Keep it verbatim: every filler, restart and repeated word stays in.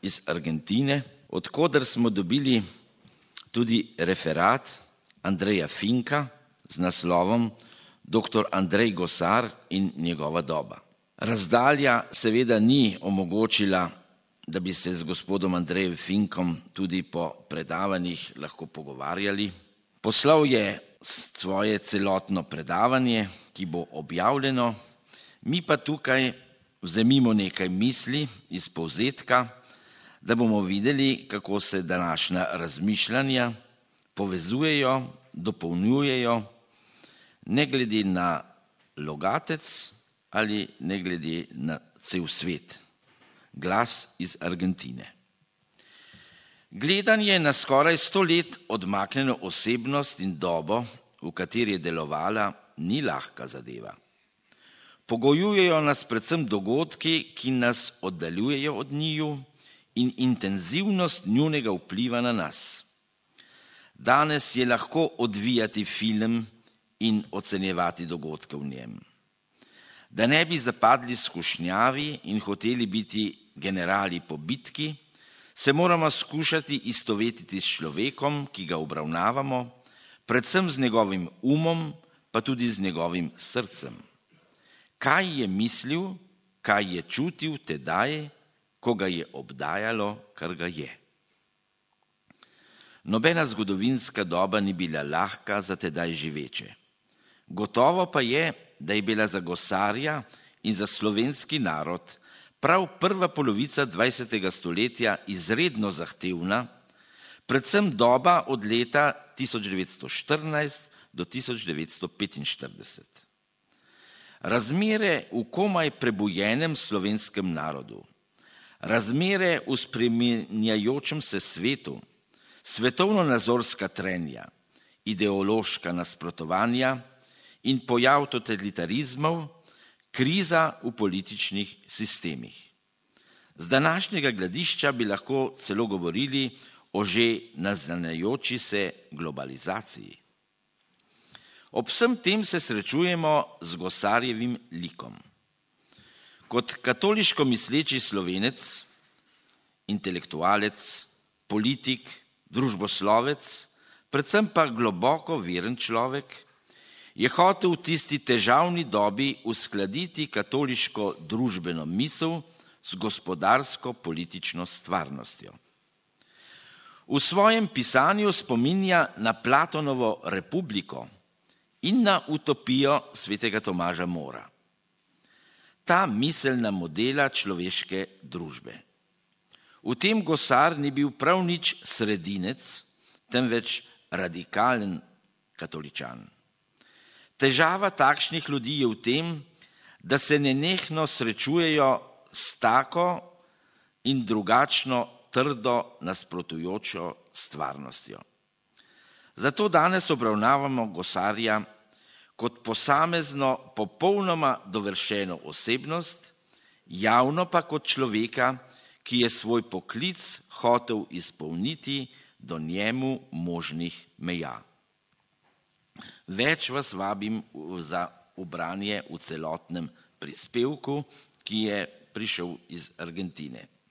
iz Argentine, odkoder smo dobili tudi referat Andreja Finka z naslovom Doktor Andrej Gosar in njegova doba. Razdalja seveda ni omogočila, da bi se z gospodom Andrejem Finkom tudi po predavanjih lahko pogovarjali. Poslal je svoje celotno predavanje, ki bo objavljeno, mi pa tukaj vzemimo nekaj misli iz povzetka, da bomo videli, kako se današnja razmišljanja povezujejo, dopolnjujejo, ne glede na logatec ali ne glede na cel svet. Glas iz Argentine. Gledanje na skoraj sto let odmaknjeno osebnost in dobo, v kateri je delovala, ni lahka zadeva. Pogojujejo nas predvsem dogodki, ki nas oddaljujejo od njiju, in intenzivnost njunega vpliva na nas. Danes je lahko odvijati film in ocenjevati dogodke v njem. Da ne bi zapadli skušnjavi in hoteli biti generali po bitki, se moramo skušati istovetiti s človekom, ki ga obravnavamo, predvsem z njegovim umom, pa tudi z njegovim srcem. Kaj je mislil, kaj je čutil tedaj, ko ga je obdajalo, kar ga je. Nobena zgodovinska doba ni bila lahka za tedaj živeče. Gotovo pa je, da je bila za Gosarja in za slovenski narod prav prva polovica dvajsetega stoletja izredno zahtevna, predvsem doba od leta tisoč devetsto štirinajst do tisoč devetsto petinštirideset. Razmere v komaj prebujenem slovenskem narodu, razmere v spreminjajočem se svetu, svetovno-nazorska trenja, ideološka nasprotovanja in pojav totalitarizmov, kriza v političnih sistemih. Z današnjega gledišča bi lahko celo govorili o že naznanjajoči se globalizaciji. Ob vsem tem se srečujemo z Gosarjevim likom. Kot katoliško misleči Slovenec, intelektualec, politik, družboslovec, predvsem pa globoko veren človek, je hotel v tisti težavni dobi uskladiti katoliško družbeno misel z gospodarsko-politično stvarnostjo. V svojem pisanju spominja na Platonovo Republiko in na utopijo svetega Tomaža Mora. Ta miselna modela človeške družbe. V tem Gosar ni bil prav nič sredinec, temveč radikalen katoličan. Težava takšnih ljudi je v tem, da se nenehno srečujejo s tako in drugačno trdo nasprotujočo stvarnostjo. Zato danes obravnavamo Gosarja kot posamezno popolnoma dovršeno osebnost, javno pa kot človeka, ki je svoj poklic hotel izpolniti do njemu možnih meja. Več vas vabim za ubranje v celotnem prispevku, ki je prišel iz Argentine.